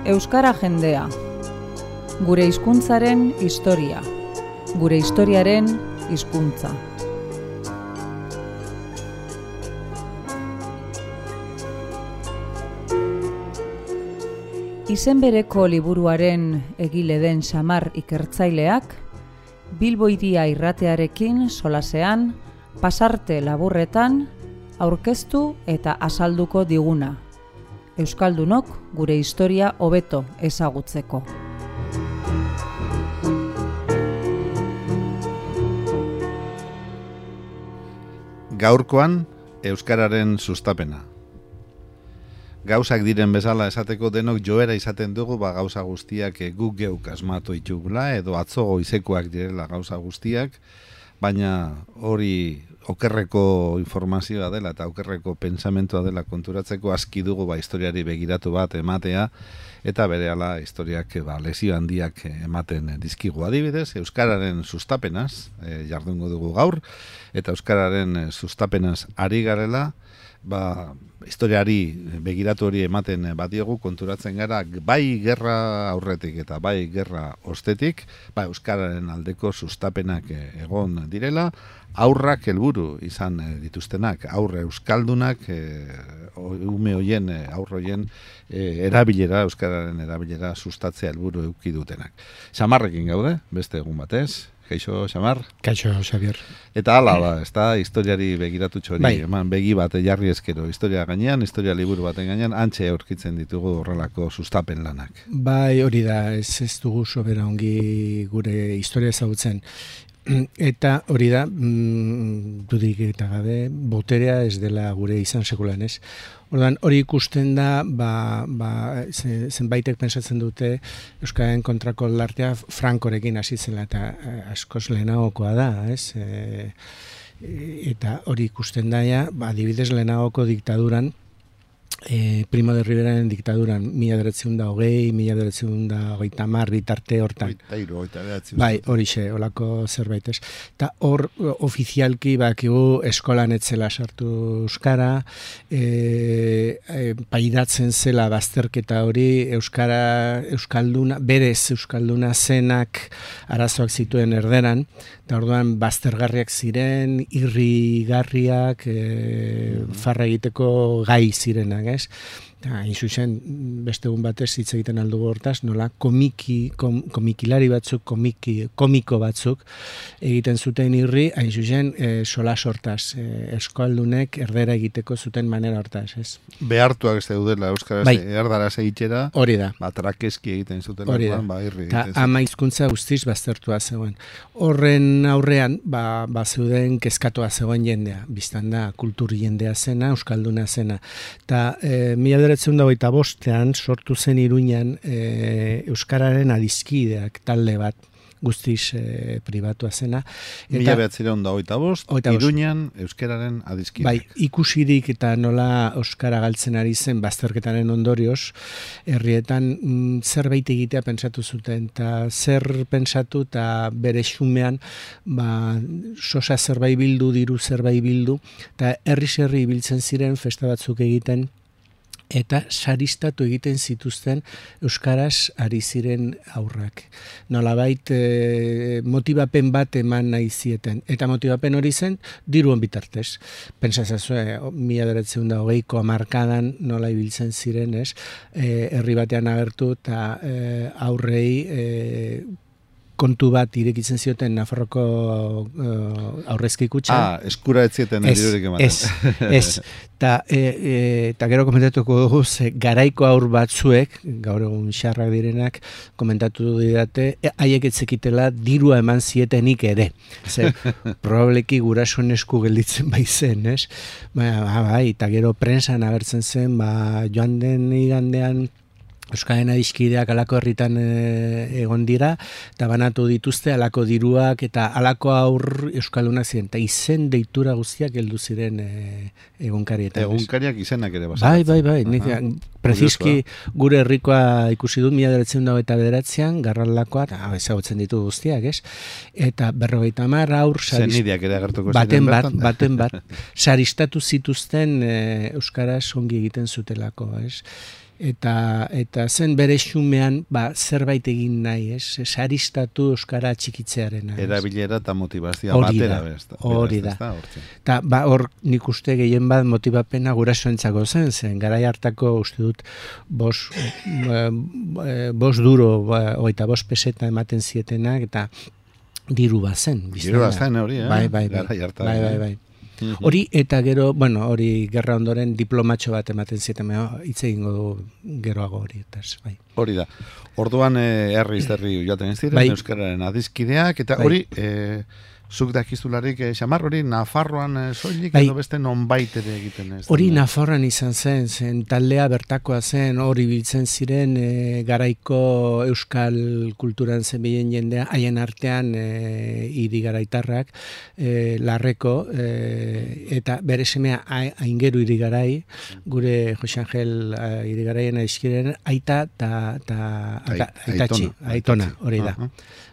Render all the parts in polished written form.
Euskara jendea. Gure hizkuntzaren historia. Gure historiaren hizkuntza. Izen bereko liburuaren egile den Xamar ikertzaileak, Bilbo Hiria irratearekin solasean, pasarte laburretan, aurkeztu eta azalduko diguna. Euskaldunok gure historia hobeto ezagutzeko. Gaurkoan, euskararen sustapena. Gauzak diren bezala esateko denok joera izaten dugu gauza guztiak guk geuk asmatu itugula edo atzo goizekoak direla gauza guztiak, baina hori okerreko informazioa dela eta okerreko pensamentua dela konturatzeko aski dugu historiari begiratu bat ematea eta berehala historiak lesio handiak ematen dizkigu. Adibidez, euskararen sustapenaz jardungo dugu gaur eta euskararen sustapenaz ari garela, historiari begiratu hori ematen badiogu konturatzen gara bai gerra aurretik eta bai gerra ostetik, euskararen aldeko sustapenak egon direla, aurrak helburu izan dituztenak, aurre euskaldunak, ume hoien, aurre hoien erabilera, euskararen erabilera sustatzea helburu eduki dutenak. Xamarrekin gaude, beste egun batez. Kaixo, Xamar? Kaixo, Xabier. Eta hala historiari begiratu txori, eman begi bat jarri eskero, historia gainean, historia liburu baten gainean, antxe aurkitzen ditugu horrelako sustapen lanak. Bai, hori da, ez dugu sobera ongi gure historia ezagutzen. Eta hori da, dudik eta gabe, boterea ez dela gure izan sekulan, ez? Ordan hori ikusten da, zenbaitek pensatzen dute Euskararen kontrako lartea Frankorekin hasi zela eta askoz lehenagokoa da, ez? Eta hori ikusten da, adibidez lehenagoko diktaduran, Primo de Riveraren diktaduran, 1920, 1930 bitarte hortan. Bai, horixe, holako zerbait ez. Eta hor, ofizialki bakigu eskolan etzela sartu euskara, pairatzen zela bazterketa hori, euskalduna, berez euskalduna zenak arazoak zituen erderan, eta orduan baztergarriak ziren, irrigarriak, farra egiteko gai zirenak, ez? Hain zuzen, beste egun batez hitz egiten aldugu hortaz, nola komikilari batzuk, komiko batzuk egiten zuten irri, hain zuzen, solas hortaz, euskaldunek erdera egiteko zuten manera hortaz, ez? Behartuak ez daudela euskaraz erdaraz egitera, hori da. Trakeski egiten zuten irri. Eta ama hizkuntza guztiz baztertua zegoen. Horren aurrean, zeuden kezkatua zegoen jendea, biztan da, kultur jendea zena, euskalduna zena. Eta 1925ean sortu zen Iruñan euskararen adizkideak talde bat guztiz pribatua zena. 1925, Iruñan euskararen adizkideak. Bai, ikusirik eta nola euskara galtzen ari zen bazterketaren ondorioz, herrietan zerbait egitea pentsatu zuten, eta zer pentsatu eta bere xumean sosa zerbait bildu, diru zerbait bildu, eta herri biltzen ziren festa batzuk egiten, eta saristatu egiten zituzten euskaraz ari ziren aurrak. Nolabait motibapen bat eman nahi zieten. Eta motibapen hori zen diruan bitartez. Pentsazazue, 1920ko hamarkadan nola ibiltzen ziren, ez? Herri batean agertu eta aurrei kontu bat irekitzen zioten Nafarroko aurrezki kutxa. Eskura etzieten dirurik ematen. Ez. Eta gero komentatuko dugu, garaiko aur batzuek, gaur egun xarrak direnak, komentatu didate, haiek etzekitela dirua eman zietenik ere. Probableki gurasoen esku gelditzen baizen, ez? Bai, eta gero prensan agertzen zen, joan den igandean, Euskararen adizkideak alako herritan egon dira, eta banatu dituzte alako diruak eta alako aur euskaldunak ziren, eta izen deitura guztiak heldu ziren egunkarietan. Egunkariak izenak ere basatzen. Bai, prezizki gure herrikoa ikusi dut 1929an, Garraldakoa, eta ezagutzen ditu guztiak, ez? Eta 50 aur zenideak ere agertuko ziren baten bat, saristatu zituzten euskaraz ongi egiten zutelako, ez? eta zen bere xumean zerbait egin nahi, saristatu euskara txikitzearena. Erabilera eta motivazioa batera bezta. Hori da. Eta hor nik uste gehien bat motivapena gurasoentzako zen garai hartako uste dut bos duro, oita bos peseta ematen zietenak, eta diru bazen. Diru bazen hori, Bai. Hori, eta gero, hori gerra ondoren diplomatxo bat ematen zieten, hitz egingo du geroago hori, bai. Hori da. Orduan herri joaten ez ziren, euskararen adizkideak, eta hori, zuk dakizularik, Xamar, hori Nafarroan soilik edo beste nonbait ere egiten ez? Hori Nafarroan izan zen taldea bertakoa zen, hori biltzen ziren garaiko euskal kulturan zebilen jendea, haien artean hiri garaitarrak, Larreko, eta bere semea Aingeru Irigarai, gure Jose Angel Irigaraien aizkiren, aita eta aitona, hori da.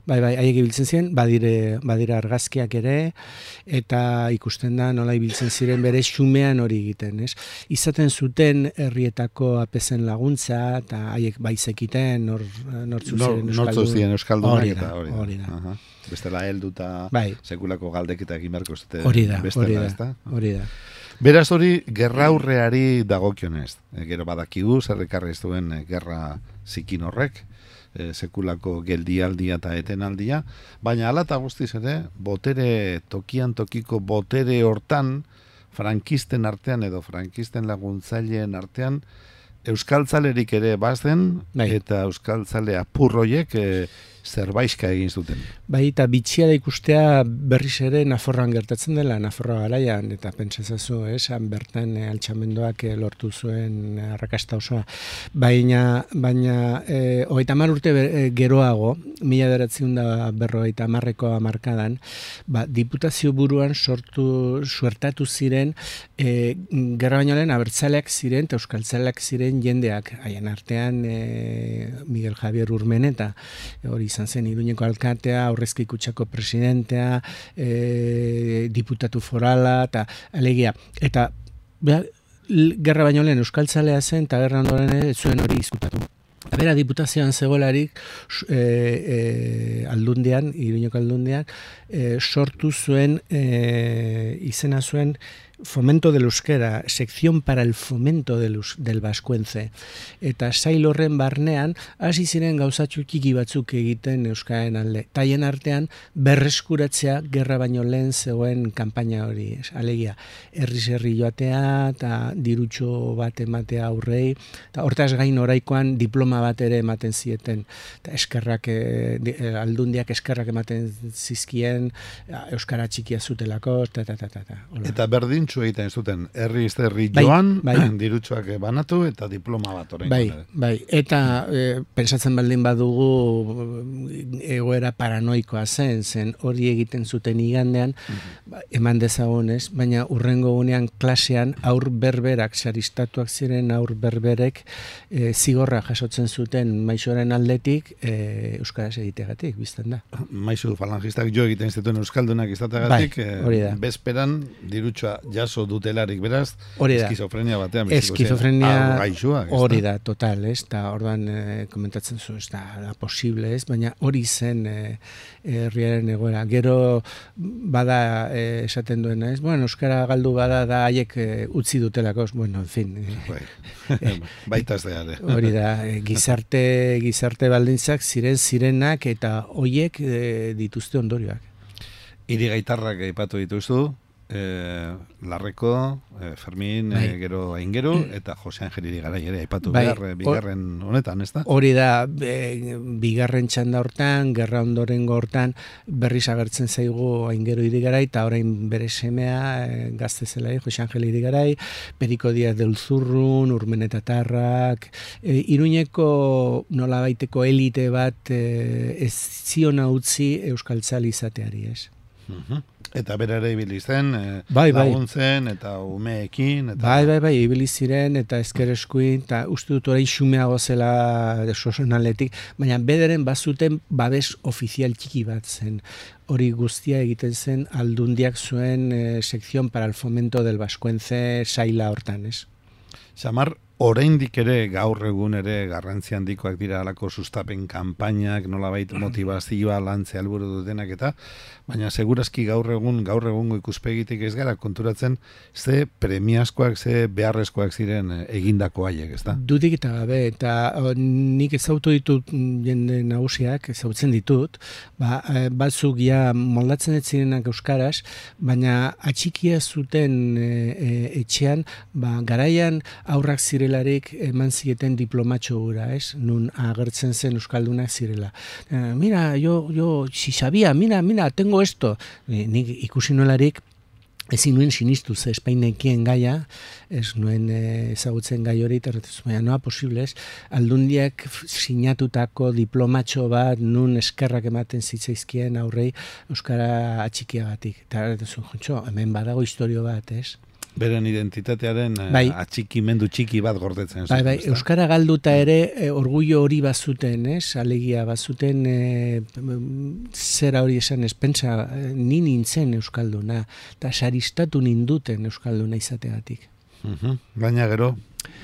Bai, haiek ibiltzen ziren, badira argazkiak ere, eta ikusten da nola ibiltzen ziren bere xumean hori egiten, ez? Izaten zuten herrietako apezen laguntza, eta haiek baizekiten nortzu ziren euskaldunak, eta hori da. Bestela heldu eta sekulako galdeketa egin beharko zute. Hori da. Beraz hori, gerra aurreari dagokionez. Gero badakigu, zerrekarri ez duen gerra zikin horrek, sekulako geldialdia eta etenaldia, baina hala eta guztiz ere, tokian tokiko botere hortan, frankisten artean edo frankisten laguntzaileen artean, euskaltzalerik ere bazen, eta euskaltzale apurroiek zerbaiska egin zuten. Bai, eta bitxia da ikustea berriz ere Nafarroan gertatzen dela, Nafarroa garaian, eta pentsazazu, bertan altxamendoak lortu zuen arrakasta osoa. Baina 30 urte geroago, 1950ko hamarkadan, diputazio buruan suertatu ziren, gerra baino lehen abertzaleak ziren, eta euskaltzaleak ziren jendeak, haien artean Miguel Javier Urmeneta, hori izan zen Iruñeko alkatea, Aurrezki Kutxako presidentea, diputatu forala, eta alegia. Eta gerra baino lehen euskaltzalea zen, eta gerra ondoren ez zuen hori izkutatu. Bera diputazioan zegoelarik aldundian, Iruñeko aldundian, sortu zuen, izena zuen, Fomento del Euskera, Sección para el Fomento del Vascuence. Eta sail horren barnean, hasi ziren gauzatxu txiki batzuk egiten Euskararen alde. Taien artean, berreskuratzea gerra baino lehen zegoen kanpaina hori. Alegia, herri joatea, eta dirutxo bat ematea aurrei, eta hortaz gain oraikoan diploma bat ere ematen zieten. Eta eskerrak, aldundiak eskerrak ematen zizkien, Euskara txikia zutelako, eta berdin egiten zuten, herri joan, dirutsuak banatu eta diploma bat orain. Bai, eta pensatzen baldin badugu egoera paranoikoa zen hori egiten zuten igandean, eman dezagonez, baina urrengo gunean klasean aur berberak, saristatuak ziren aur berberek zigorra jasotzen zuten maisoaren aldetik euskaraz egiteagatik, bizten da. Maisu falangistak jo egiten zituen euskaldunak izateagatik, bezperan dirutsua jaso dutelarik, beraz, eskizofrenia batean. Eskizofrenia hori da, total, ez? Eta orduan komentatzen zu, ez da posible, ez? Baina hori zen herriaren egoera. Gero bada esaten duena, ez? Bueno, euskara galdu bada da haiek utzi dutelako, bueno, en fin. Baita ez da. Hori da, gizarte baldintzak zirenak eta hoiek dituzte ondorioak. Hirigaitarrak aipatu dituzu, Larreko, Fermin, gero Aingeru, eta Jose Angel Irigarai ere aipatu bigarren honetan, ez da? Hori da, bigarren txanda hortan, gerra ondorengo hortan, berriz agertzen zaigu Aingeru Irigarai, eta orain bere semea, gazte zelai, Jose Angel Irigarai, Periko Diaz de Ulzurrun, Urmenetatarrak, Iruñeko nolabaiteko elite bat ez ziona utzi euskaltzale izateari, ez? Eta bera ere ibili zen, laguntzen, eta umeekin. Bai, ibili ziren, eta ezker eskuin, eta uste dut orain xumeago zela sosenaletik, baina bederen bazuten babes ofizial txiki bat zen. Hori guztia egiten zen aldundiak zuen Sección para el Fomento del Vascuence saila hortan, ez? Xamar, oraindik ere gaur egun ere garrantzi handikoak dira halako sustapen kanpainak, nolabait motivazioa lantzea helburu dutenak eta, baina segurazki gaur egungo ikuspegitik ez gara konturatzen ze premiazkoak, ze beharrezkoak ziren egindako haiek, ezta? Dudik eta gabe, eta nik ezautu ditut jende nagusiak, ezautzen ditut, batzuk ja moldatzen ez zirenak euskaraz, baina atxikia zuten etxean, garaian aurrak zirelarik eman zieten diplomatxo gura, ez? Nun agertzen zen euskaldunak zirela. Mira, yo si sabía, mira, tengo esto. Nik ikusi nolarik, ezin nuen sinistu ze Espainekien gaia, ez nuen ezagutzen gai hori, baina noa posibles, aldundiak sinatutako diplomatxo bat nun eskerrak ematen zitzaizkien aurrei euskara atxikiagatik. Eta hemen badago historio bat, ez? Beren identitatearen atxikimendu txiki bat gordetzen. Bai, euskara galduta ere orgullo hori bazuten, alegia bazuten zera hori esan ez, pentsa, ni nintzen euskalduna, eta saristatu ninduten euskalduna izategatik. Baina gero,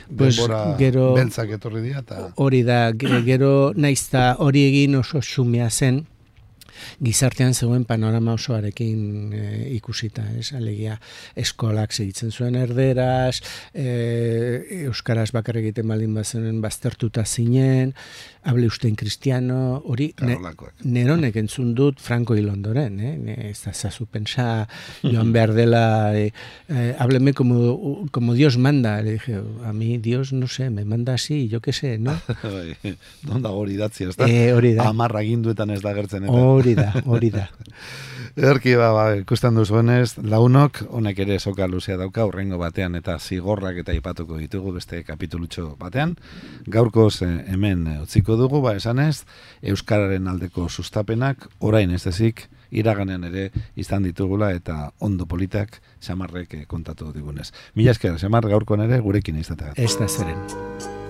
denbora beltzak etorri dira. Hori da, gero naizta hori egin oso xumea zen, gizartean zegoen panorama osoarekin ikusita, alegia eskolak segitzen zuen erderaz, euskaraz bakar egiten baldin bazenen baztertuta zinen, hable ustein kristiano, hori neronek entzun dut Franco hil ondoren, ez da zazu pensa joan behar dela, hábleme como Dios manda, le dije, a mí Dios, no sé, me manda así, yo que sé, ¿no? Donda hori datzi, ez da? Hori da. Amarra ginduetan ez da gertzen eta. Hori da. Erki, ikusten duzuenez, launok, honek ere soka luzea dauka, urrengo batean eta zigorrak eta ipatuko ditugu beste kapitulutxo batean. Gaurkoz hemen utziko dugu, esanez, euskararen aldeko sustapenak, orain ez ezik, iraganean ere izan ditugula eta ondo politak Xamarrek kontatu digunez. Mila esker, Xamar, gaurkoan ere gurekin izategat. Ez da zeren.